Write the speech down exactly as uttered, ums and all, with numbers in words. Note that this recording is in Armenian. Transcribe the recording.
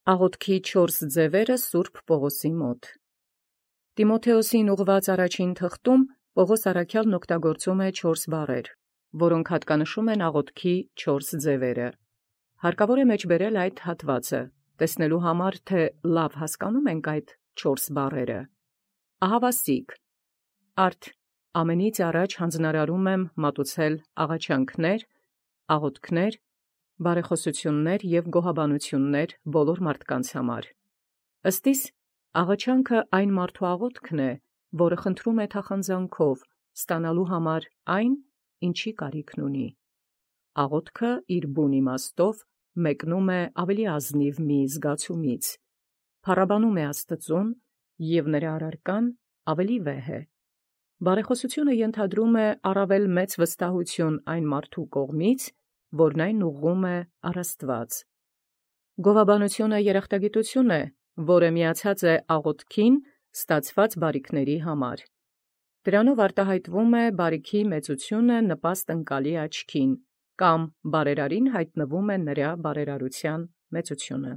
Աղոթքի չորս ձևերը Սուրբ Պողոսի մոտ։ Տիմոթեոսին ուղղված առաջին թղթում Պողոս առաքյալն օգտագործում է չորս բառեր, որոնք հատկանշում են աղոթքի չորս ձևերը։ Հարկավոր է մեջբերել այդ հատվածը, տեսնելու համար, թե լավ հասկանում ենք այդ չորս բառերը։ Ահավասիկ, արդ ամենից առաջ հանձնարարում եմ մատուցել աղաչանքներ, աղոթքներ, բարեխոսություններ և գոհաբանություններ բոլոր մարդկանց համար։ Ըստիս աղաչանքը այն մարդու աղոթքն է, որը խնդրում է թախանձանքով ստանալու համար այն, ինչի կարիքն ունի։ Աղոթքը իր բուն իմաստով մեկնում է ավելի ազնիվ մի զգացումից, փառաբանում է Աստծուն և նրա առարկան ավելի վեհ է։ Բարեխոսությունը ենթադրում է առավել մեծ վստահություն այն մարդու կողմից, որն այն ուղղում է առ Աստուած։ Գովաբանությունը երախտագիտություն է, որը միացած է աղոթքին ստացված բարիքների համար։ Դրանով արտահայտվում է բարիքի մեծությունը նպաստ ընկալի աչքին, կամ բարերարին հայտնվում է նրա բարերարության մեծությունը։